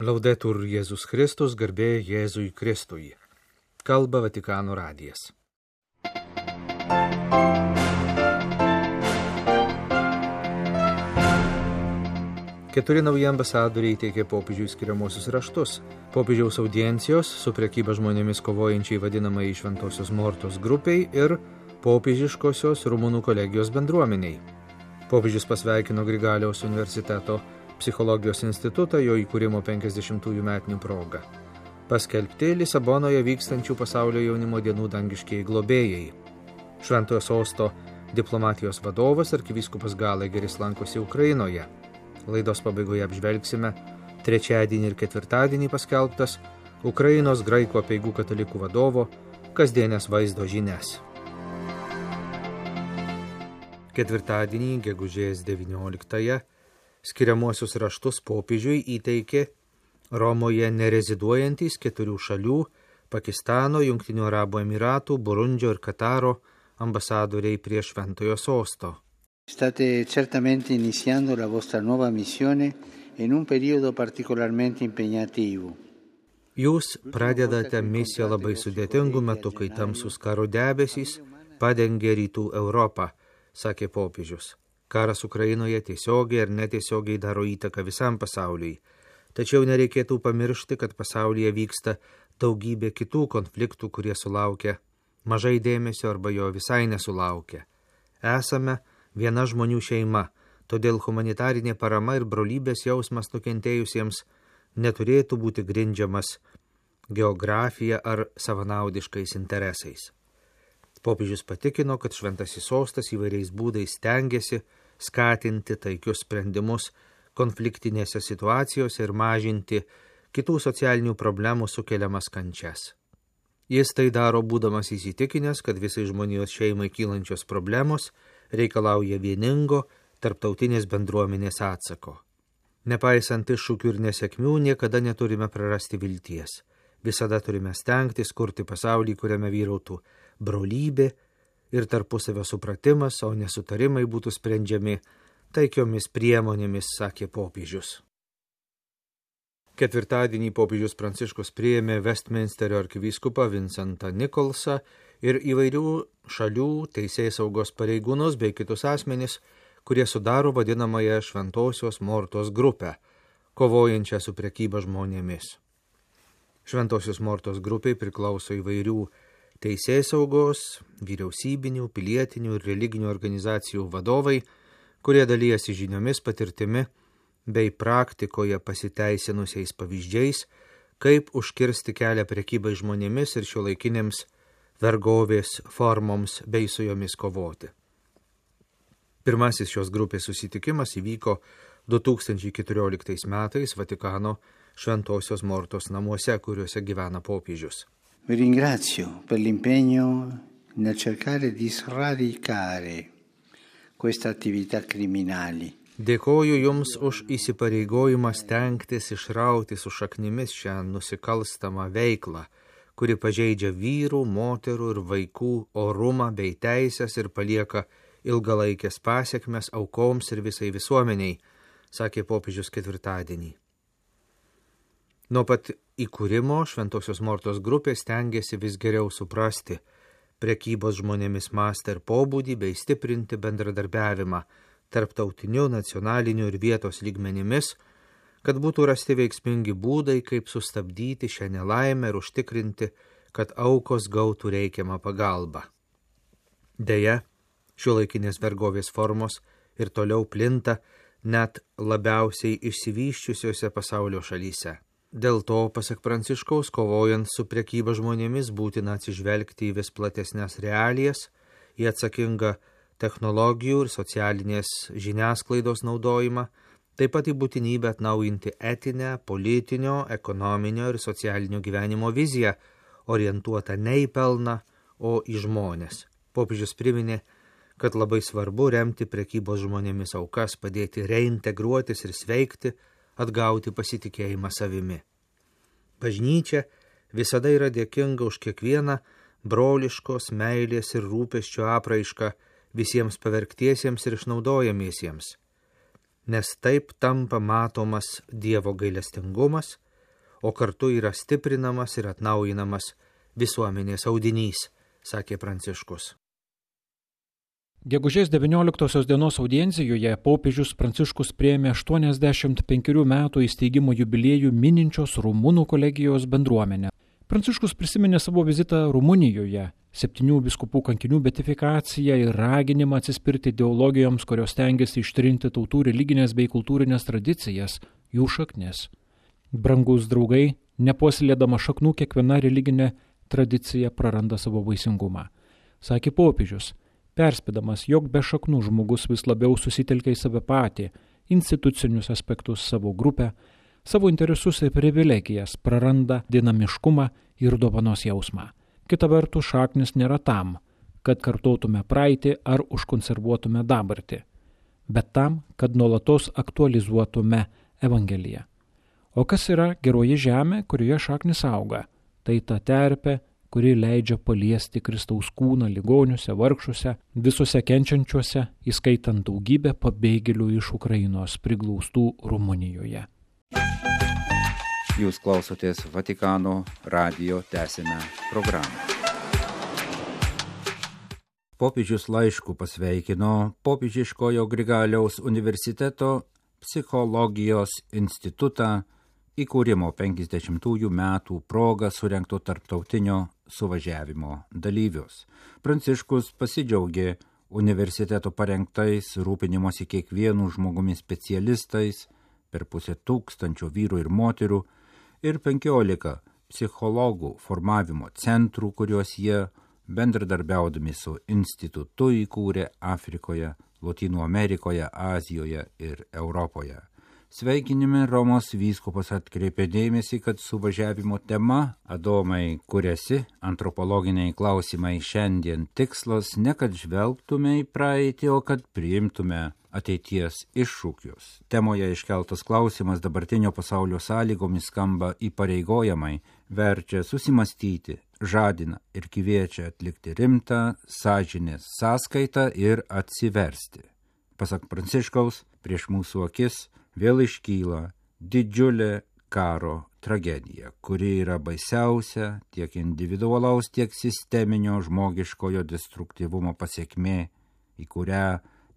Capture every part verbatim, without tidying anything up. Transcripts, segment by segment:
Laudetur Jėzus Kristus, garbė Jėzui Kristui. Kalba Vatikano radijas. Keturi nauji ambasadoriai teikė popiežiui skiriamuosius raštus. Popiežiaus audiencijos su prekyba žmonėmis kovojančiai vadinamai Šventosios Mortos grupiai ir popiežiškosios Rumunų kolegijos bendruomeniai. Popiežius pasveikino Grigaliaus universiteto psichologijos institutą jo įkūrimo penkiasdešimtųjų metinių proga. Paskelbti Lisabonoje vykstančių pasaulio jaunimo dienų dangiškieji globėjai. Šventojo sosto diplomatijos vadovas arkivyskupas Galageris lankosi Ukrainoje. Laidos pabaigoje apžvelgsime trečiadienį ir ketvirtadienį paskelbtas Ukrainos graikų apeigų katalikų vadovo kasdienės vaizdo žinias. Ketvirtadienį, gegužės devynioliktąją, skiriamuosius raštus popiežiui įteikė Romoje nereziduojantys keturių šalių – Pakistano, Jungtinių Arabų Emiratų, Burundžio ir Kataro ambasadoriai prie Šventojo sosto. State certamente iniziando la vostra nuova missione in un periodo particolarmente impegnativo. Jūs pradedate misiją labai sudėtingų metų, kai tamsus karo debesys padengia rytų Europą, sakė popiežius. Karas Ukrainoje tiesiogiai ar netiesiogiai daro įtaką visam pasauliui. Tačiau nereikėtų pamiršti, kad pasaulyje vyksta daugybė kitų konfliktų, kurie sulaukia mažai dėmesio arba jo visai nesulaukia. Esame viena žmonių šeima, todėl humanitarinė parama ir brolybės jausmas nukentėjusiems neturėtų būti grindžiamas geografija ar savanaudiškais interesais. Popiežius patikino, kad Šventasis sostas įvairiais būdais stengiasi skatinti taikius sprendimus konfliktinėse situacijose ir mažinti kitų socialinių problemų sukeliamas kančias. Jis tai daro būdamas įsitikinęs, kad visai žmonijos šeimai kylančios problemos reikalauja vieningo tarptautinės bendruomenės atsako. Nepaisant iššūkių ir nesėkmių, niekada neturime prarasti vilties. Visada turime stengtis kurti pasaulį, kuriame vyrautų brolybė ir tarpusavio supratimas, o nesutarimai būtų sprendžiami taikiomis priemonėmis, sakė popiežius. Ketvirtadienį popiežius Pranciškus priėmė Westminsterio arkivyskupą Vincentą Nicholsą ir įvairių šalių teisėsaugos pareigūnus bei kitus asmenis, kurie sudaro vadinamąją Šventosios Mortos grupę, kovojančią su prekyba žmonėmis. Šventosios Mortos grupiai priklauso įvairių teisėsaugos, vyriausybinių, pilietinių ir religinių organizacijų vadovai, kurie dalyjasi žiniomis, patirtimi bei praktikoje pasiteisinusiais pavyzdžiais, kaip užkirsti kelią prekybai žmonėmis ir šiuolaikinėms vergovės formoms bei su jomis kovoti. Pirmasis šios grupės susitikimas įvyko du tūkstančiai keturioliktais metais Vatikano Šventosios Mortos namuose, kuriuose gyvena popiežius. Vi ringrazio per l'impegno nel cercare di sradicare questa attività criminali. Dėkoju Jums už įsipareigojimą stengtis išrauti su šaknimis šią nusikalstamą veiklą, kuri pažeidžia vyrų, moterų ir vaikų orumą bei teisės ir palieka ilgalaikės pasiekmes aukoms ir visai visuomeniai, sakė popiežius ketvirtadienį. Nuo pat įkūrimo Šventosios Mortos grupė stengiasi vis geriau suprasti prekybos žmonėmis mastą ir pobūdį bei stiprinti bendradarbiavimą tarptautiniu, nacionaliniu ir vietos lygmenimis, kad būtų rasti veiksmingi būdai, kaip sustabdyti šią nelaimę ir užtikrinti, kad aukos gautų reikiamą pagalbą. Deja, šiuolaikinės vergovės formos ir toliau plinta net labiausiai išsivysčiusiose pasaulio šalyse. Dėl to, pasak Pranciškaus, kovojant su prekyba žmonėmis būtina atsižvelgti į vis platesnės realijas, į atsakingą technologijų ir socialinės žiniasklaidos naudojimą, taip pat į būtinybę atnaujinti etinę, politinio, ekonominio ir socialinio gyvenimo viziją, orientuotą ne į pelną, o į žmones. Popiežius priminė, kad labai svarbu remti prekybos žmonėmis aukas, padėti reintegruotis ir sveikti, atgauti pasitikėjimą savimi. Bažnyčia visada yra dėkinga už kiekvieną broliškos meilės ir rūpesčio apraišką visiems pavergtiesiems ir išnaudojamiesiems, nes taip tampa matomas Dievo gailestingumas o kartu yra stiprinamas ir atnaujinamas visuomenės audinys, sakė Pranciškus. Gegužės devynioliktosios dienos audiencijoje popiežius Pranciškus priėmė aštuoniasdešimt penkerių metų įsteigimo jubiliejų mininčios Rumunų kolegijos bendruomenę. Pranciškus prisiminė savo vizitą Rumunijoje, septynių vyskupų kankinių beatifikaciją ir raginimą atsispirti ideologijoms, kurios stengiasi ištrinti tautų religinės bei kultūrinės tradicijas, jų šaknis. Brangus draugai, nepuoselėdama šaknų, kiekviena religinė tradicija praranda savo vaisingumą, sakė popiežius, perspėdamas, jog be šaknų žmogus vis labiau susitelkia į save patį, institucinius aspektus, savo grupę, savo interesus ir privilegijas, praranda dinamiškumą ir dovanos jausmą. Kita vertus, šaknis nėra tam, kad kartotume praeitį ar užkonservuotume dabartį, bet tam, kad nuolatos aktualizuotume Evangeliją. O kas yra geroji žemė, kurioje šaknis auga? Tai ta terpė, kuri leidžia paliesti Kristaus kūną ligoniuose, vargšuose, visuose kenčiančiuose, įskaitant daugybę pabėgėlių iš Ukrainos priglaustų Rumunijoje. Jūs klausotės Vatikano radijo tęsinę programą. Popiežius laišku pasveikino Popiežiškojo Grigaliaus universiteto psichologijos institutą įkūrimo penkiasdešimtųjų metų proga surengto tarptautinio suvažiavimo dalyvius. Pranciškus pasidžiaugė universiteto parengtais rūpinimosi kiekvienų žmogumi specialistais, per pusę tūkstančio vyrų ir moterų ir penkiolika psichologų formavimo centrų, kuriuos jie bendradarbiaudami su institutu įkūrė Afrikoje, Lotynų Amerikoje, Azijoje ir Europoje. Sveikinime Romos vyskupas atkreipė dėmesį, kad suvažiavimo tema Adomai kuriasi, antropologiniai klausimai šiandien tikslas ne kad žvelgtume į praeitį, o kad priimtume ateities iššūkius. Temoje iškeltas klausimas dabartinio pasaulio sąlygomis skamba įpareigojamai, verčia susimastyti, žadina ir kviečia atlikti rimtą sąžinės sąskaitą ir atsiversti. Pasak Pranciškaus, prieš mūsų akis vėl iškyla didžiulė karo tragedija, kuri yra baisiausia tiek individualaus, tiek sisteminio žmogiškojo destruktyvumo pasekmė, į kurią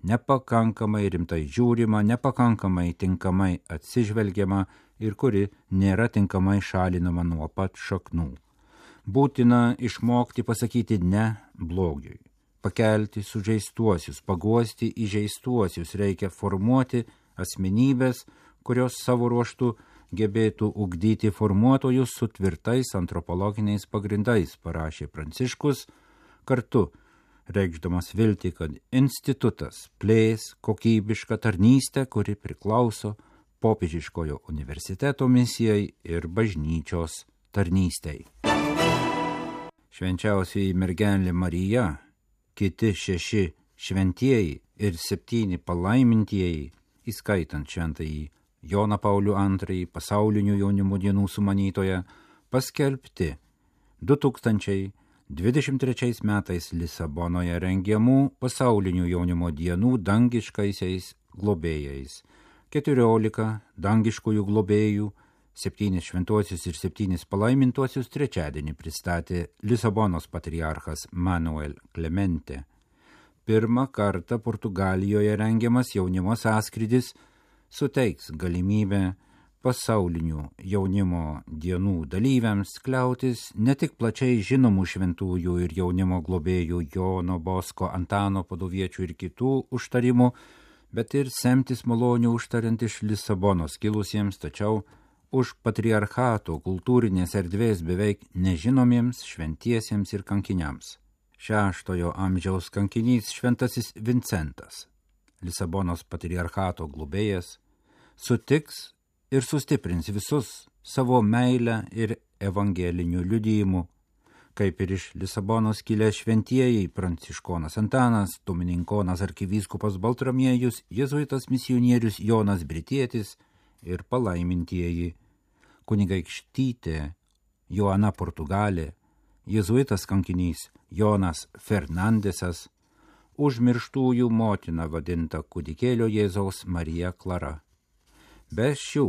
nepakankamai rimtai žiūrima, nepakankamai tinkamai atsižvelgiama ir kuri nėra tinkamai šalinama nuo pat šaknų. Būtina išmokti pasakyti ne blogiui, pakelti sužeistuosius, paguosti įžeistuosius, reikia formuoti asmenybės, kurios savo ruoštų gebėtų ugdyti formuotojus su tvirtais antropologiniais pagrindais, parašė Pranciškus, kartu reikšdamas viltį, kad institutas plės kokybišką tarnystę, kuri priklauso Popiežiškojo universiteto misijai ir bažnyčios tarnystei. Švenčiausioji mergelė Marija, kiti šeši šventieji ir septyni palaimintieji, įskaitant šventąjį Joną Paulių antrąjį, pasaulinių jaunimo dienų sumanytoją, paskelbti du tūkstančiai dvidešimt trečiais metais Lisabonoje rengiamų pasaulinių jaunimo dienų dangiškaisiais globėjais. Keturiolika dangiškųjų globėjų, septynis šventuosius ir septynis palaimintuosius trečiadienį pristatė Lisabonos patriarchas Manuel Clemente. Pirmą kartą Portugalijoje rengiamas jaunimo sąskrydis suteiks galimybę pasaulinių jaunimo dienų dalyviams kliautis ne tik plačiai žinomų šventųjų ir jaunimo globėjų Jono Bosko, Antano Paduviečių ir kitų užtarimų, bet ir semtis malonių užtariant iš Lisabonos kilusiems, tačiau už patriarchato kultūrinės erdvės beveik nežinomiems šventiesiems ir kankiniams. Šeštojo amžiaus kankinys šventasis Vincentas, Lisabonos patriarchato globėjas, sutiks ir sustiprins visus savo meilę ir evangelinių liudijimų, kaip ir iš Lisabonos kilę šventieji Pranciškonas Antanas, Domininkonas arkivyskupas Baltramiejus, jėzuitas misionierius Jonas Britietis ir palaimintieji kunigaikštytė Joana Portugalė, jėzuitas kankinys Jonas Fernandesas, užmirštųjų motina vadinta kūdikėlio Jėzaus Marija Klara. Be šių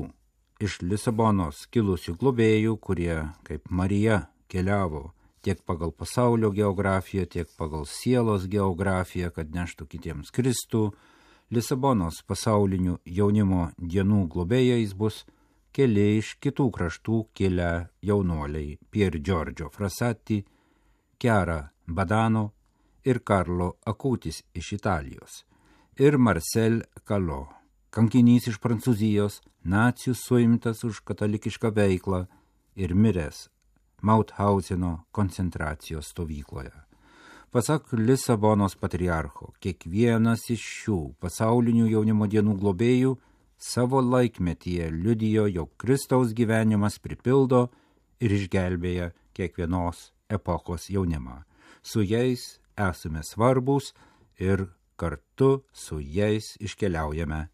iš Lisabonos kilusių globėjų, kurie kaip Marija keliavo tiek pagal pasaulio geografiją, tiek pagal sielos geografiją, kad neštų kitiems Kristų. Lisabonos pasaulinių jaunimo dienų globėjais bus keli iš kitų kraštų kilę jaunuoliai Pier Giorgio Frassati, Chiara Badano ir Karlo Akutis iš Italijos ir Marcel Calo, kankinys iš Prancūzijos, nacijų suimtas už katalikišką veiklą ir miręs Mauthauseno koncentracijos stovykloje. Pasak Lisabonos patriarcho, kiekvienas iš šių pasaulinių jaunimo dienų globėjų savo laikmetyje liudijo, jog Kristaus gyvenimas pripildo ir išgelbėja kiekvienos epochos jaunimą. Su jais esame svarbus ir kartu su jais iškeliaujame,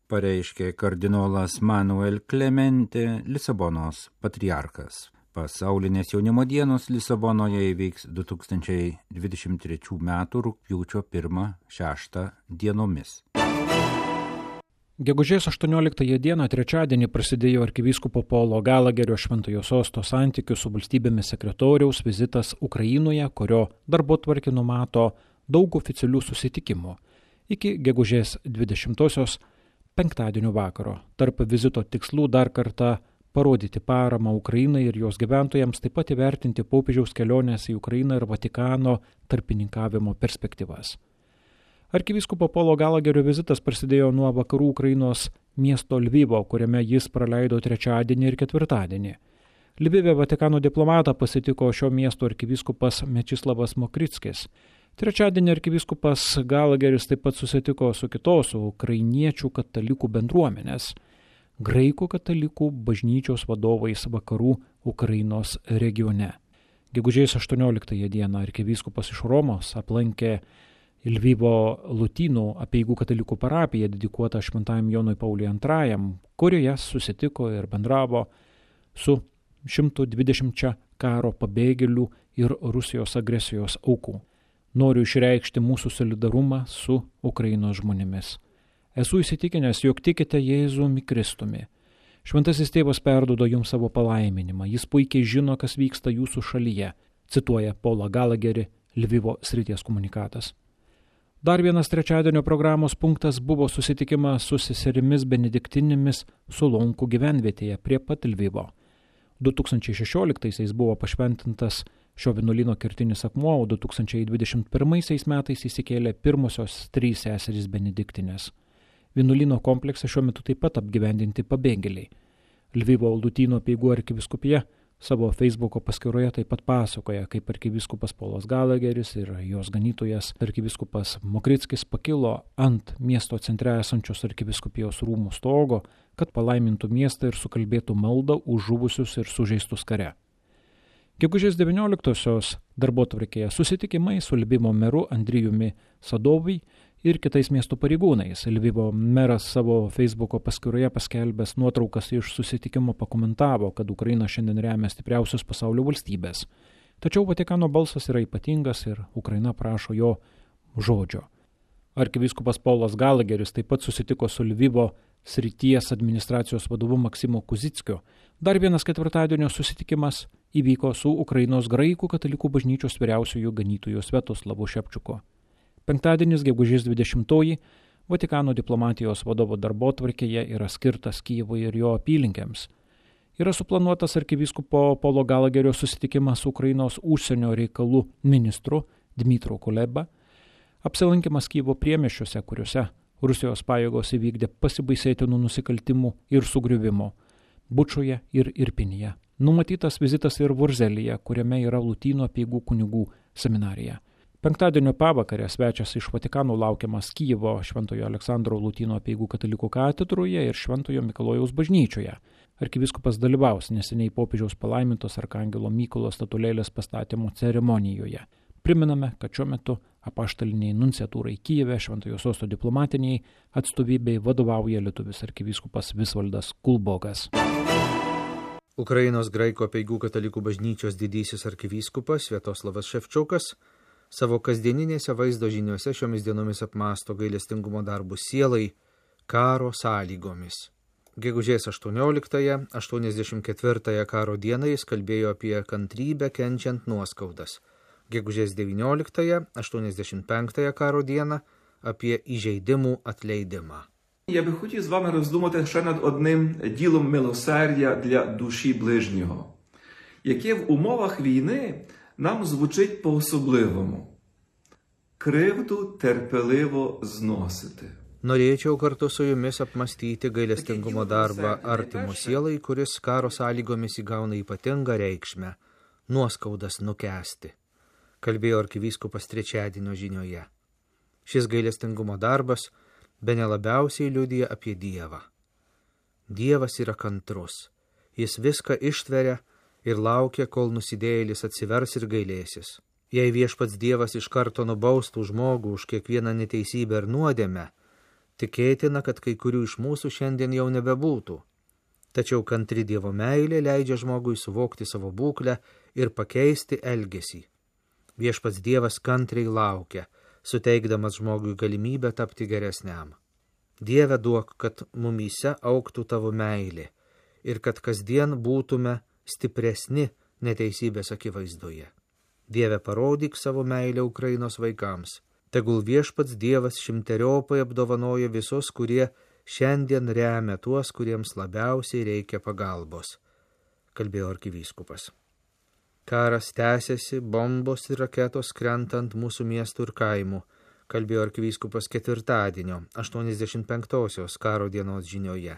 pareiškė kardinolas Manuel Clemente, Lisabonos patriarchas. Pasaulinės jaunimo dienos Lisabonoje įvyks du tūkstančiai dvidešimt trečių metų rugpjūčio pirmą šeštą dienomis. Gegužės aštuonioliktąją dieną trečiadienį prasidėjo arkivyskupo Paulo Galagerio Šventojo Sosto santykių su valstybėmis sekretoriaus vizitas Ukrainoje, kurio darbotvarkė numato daug oficialių susitikimų. Iki gegužės dvidešimtosios penktadienio vakaro. Tarp vizito tikslų dar kartą parodyti paramą Ukrainai ir jos gyventojams, taip pat įvertinti popiežiaus kelionės į Ukrainą ir Vatikano tarpininkavimo perspektyvas. Arkivyskupo Paulo Galagerio vizitas prasidėjo nuo vakarų Ukrainos miesto Lvivo, kuriame jis praleido trečiadienį ir ketvirtadienį. Lvive Vatikano diplomatą pasitiko šio miesto arkivyskupas Mečislavas Mokrickis. Trečiadienį arkivyskupas Galageris taip pat susitiko su kitos ukrainiečių katalikų bendruomenės, graikų katalikų bažnyčios vadovais vakarų Ukrainos regione. Gegužės aštuonioliktąją dieną arkivyskupas iš Romos aplankė Lvivo Lotynų apeigų katalikų parapiją dedikuotą Šventajam Jonui Pauliui antrajam, kurioje susitiko ir bendravo su šimtu dvidešimčia karo pabėgėlių ir Rusijos agresijos aukų. Noriu išreikšti mūsų solidarumą su Ukrainos žmonėmis. Esu įsitikinęs, jog tikite Jėzumi Kristumi. Šventasis tėvas perduoda jums savo palaiminimą. Jis puikiai žino, kas vyksta jūsų šalyje, cituoja Paulą Galagerį Lvivo srities komunikatas. Dar vienas trečiadienio programos punktas buvo susitikimas su seserimis benediktinėmis Solonkų gyvenvietėje prie pat Lvivo. du tūkstančiai šešioliktaisiais buvo pašventintas šio vienuolyno kertinis akmuo, o du tūkstančiai dvidešimt pirmaisiais metais įsikėlė pirmosios trys seserys benediktinės. Vienuolyno komplekse šiuo metu taip pat apgyvendinti pabėgėliai. Lvivo Lotynų apeigų arkivyskupija savo Facebooko paskyroje taip pat pasakoja, kaip arkivyskupas Paulas Galageris ir jos ganytojas arkivyskupas Mokrickis pakilo ant miesto centre esančios arkivyskupijos rūmų stogo, kad palaimintų miestą ir sukalbėtų maldą už žuvusius ir sužeistus kare. Gegužės devynioliktosios darbotvarkėje susitikimai su Lvivo meru Andrijumi Sadovai ir kitais miesto pareigūnais. Lvivo meras savo Facebooko paskyroje paskelbęs nuotraukas iš susitikimo pakomentavo, kad Ukraina šiandien remia stipriausios pasaulio valstybės. Tačiau Vatikano balsas yra ypatingas ir Ukraina prašo jo žodžio. Arkivyskupas Paulas Galageris taip pat susitiko su Lvivo srities administracijos vadovu Maksimu Kuzickiu. Dar vienas ketvirtadienio susitikimas įvyko su Ukrainos graikų katalikų bažnyčios vyriausiųjų ganytojų Sviatoslavu Šepčiuku. Penktadienis, gegužės dvidešimtoji, Vatikano diplomatijos vadovo darbotvarkėje yra skirtas Kyjivui ir jo apylinkėms. Yra suplanuotas arkivyskupo Paulo Galagerio susitikimas su Ukrainos užsienio reikalų ministru Dmitru Kuleba, apsilankimas Kyjivo priemiesčiuose, kuriuose Rusijos pajėgos įvykdė pasibaisėtinų nusikaltimų ir sugriuvimo Bučoje ir Irpinyje. Numatytas vizitas ir Vurzelyje, kuriame yra Lotynų apeigų kunigų seminarija. Penktadienio pavakarę svečias iš Vatikano laukiamas Kyjivo Šventojo Aleksandro Lotynų apeigų katalikų katedroje ir Šventojo Mikalojaus bažnyčioje. Arkivyskupas dalyvaus neseniai popiežiaus palaimintos arkangelo Mykolo statulėlės pastatymo ceremonijoje. Priminame, kad šiuo metu apaštaliniai nunciatūrai Kyjive Šventojo Sosto diplomatiniai atstovybei vadovauja lietuvis arkivyskupas Visvaldas Kulbokas. Ukrainos graikų apeigų katalikų bažnyčios didysis arkivyskupas Sviatoslavas Ševčiukas savo kasdieninėse vaizdo žiniuose šiomis dienomis apmąsto gailestingumo darbus sielai karo sąlygomis. Gegužės aštuonioliktąją, aštuoniasdešimt ketvirtąją karo dieną jis kalbėjo apie kantrybę kenčiant nuoskaudas. Gegužės devynioliktąją, aštuoniasdešimt penktąją karo dieną apie įžeidimų atleidimą. Я би хотів з вами роздумати ще над одним ділом милосердя для душі ближнього, яке в умовах війни нам звучить по-особливому. Кривду терпеливо зносити. Norėčiau kartu su jumis apmastyti gailestingumo darbą artimo sielai, kuris karo sąlygomis įgauna ypatingą reikšmę – nuoskaudas nukęsti, kalbėjo arkivyskupas trečiadienio žinioje. Šis gailestingumo darbas bene labiausiai liudija apie Dievą. Dievas yra kantrus, jis viską ištveria ir laukia, kol nusidėjėlis atsivers ir gailėsis. Jei viešpats Dievas iš karto nubaustų žmogų už kiekvieną neteisybę ir nuodėmę, tikėtina, kad kai kurių iš mūsų šiandien jau nebebūtų. Tačiau kantri Dievo meilė leidžia žmogui suvokti savo būklę ir pakeisti elgesį. Viešpats Dievas kantriai laukia, suteikdamas žmogui galimybę tapti geresniam. Dieve duok, kad mumyse augtų tavo meilė ir kad kasdien būtume stipresni neteisybės akivaizdoje. Dieve, parodyk savo meilę Ukrainos vaikams. Tegul viešpats Dievas šimteriopai apdovanoja visus, kurie šiandien remia tuos, kuriems labiausiai reikia pagalbos, kalbėjo arkivyskupas. Karas tęsiasi, bombos ir raketos krentant mūsų miestų ir kaimų, kalbėjo arkivyskupas ketvirtadienio, aštuoniasdešimt penktosios karo dienos žinioje.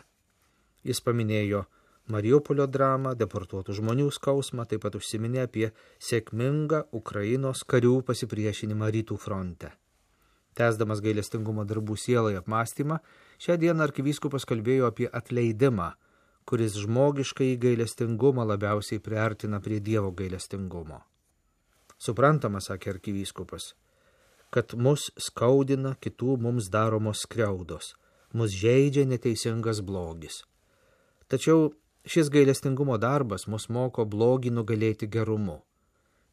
Jis paminėjo Mariupolio dramą, deportuotų žmonių skausmą, taip pat užsiminė apie sėkmingą Ukrainos karių pasipriešinimą rytų fronte. Tęsdamas gailestingumo darbų sielai apmąstymą, šią dieną arkivyskupas kalbėjo apie atleidimą, kuris žmogiškai gailestingumą labiausiai priartina prie Dievo gailestingumo. Suprantama, sakė arkivyskupas, kad mus skaudina kitų mums daromos skriaudos, mus žeidžia neteisingas blogis. Tačiau šis gailestingumo darbas mus moko blogį nugalėti gerumu.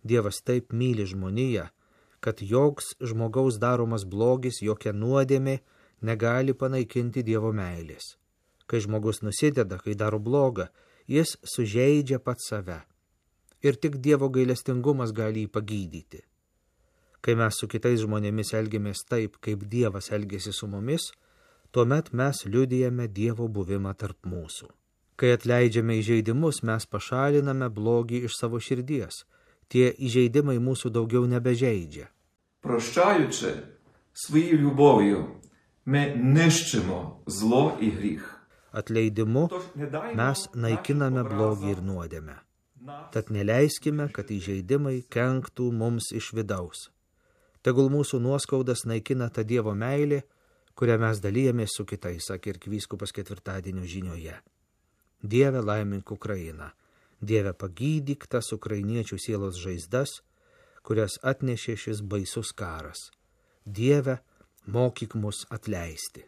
Dievas taip myli žmoniją, kad joks žmogaus daromas blogis, jokia nuodėmė negali panaikinti Dievo meilės. Kai žmogus nusideda, kai daro blogą, jis sužeidžia pats save. Ir tik Dievo gailestingumas gali jį pagydyti. Kai mes su kitais žmonėmis elgiamės taip, kaip Dievas elgiasi su mumis, tuomet mes liudijame Dievo buvimą tarp mūsų. Kai atleidžiame įžeidimus, mes pašaliname blogį iš savo širdies. Tie įžeidimai mūsų daugiau nebežeidžia. Прощаючи своєю любов'ю, ми нищимо зло і гріх. Atleidimu mes naikiname blogį ir nuodėmę. Tad neleiskime, kad įžeidimai kenktų mums iš vidaus. Tegul mūsų nuoskaudas naikina ta Dievo meilė, kurią mes dalyjamės su kitais, sakė arkivyskupas ketvirtadienio žinioje. Dieve, laimink Ukrainą. Dieve, pagydyk tas ukrainiečių sielos žaizdas, kurias atnešė šis baisus karas. Dieve, mokyk mus atleisti.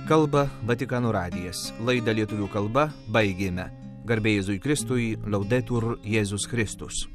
Kalba Vatikano radijas. Laidą lietuvių kalba baigėme. Garbė Jėzui Kristui, Laudetur Jėzus Kristus.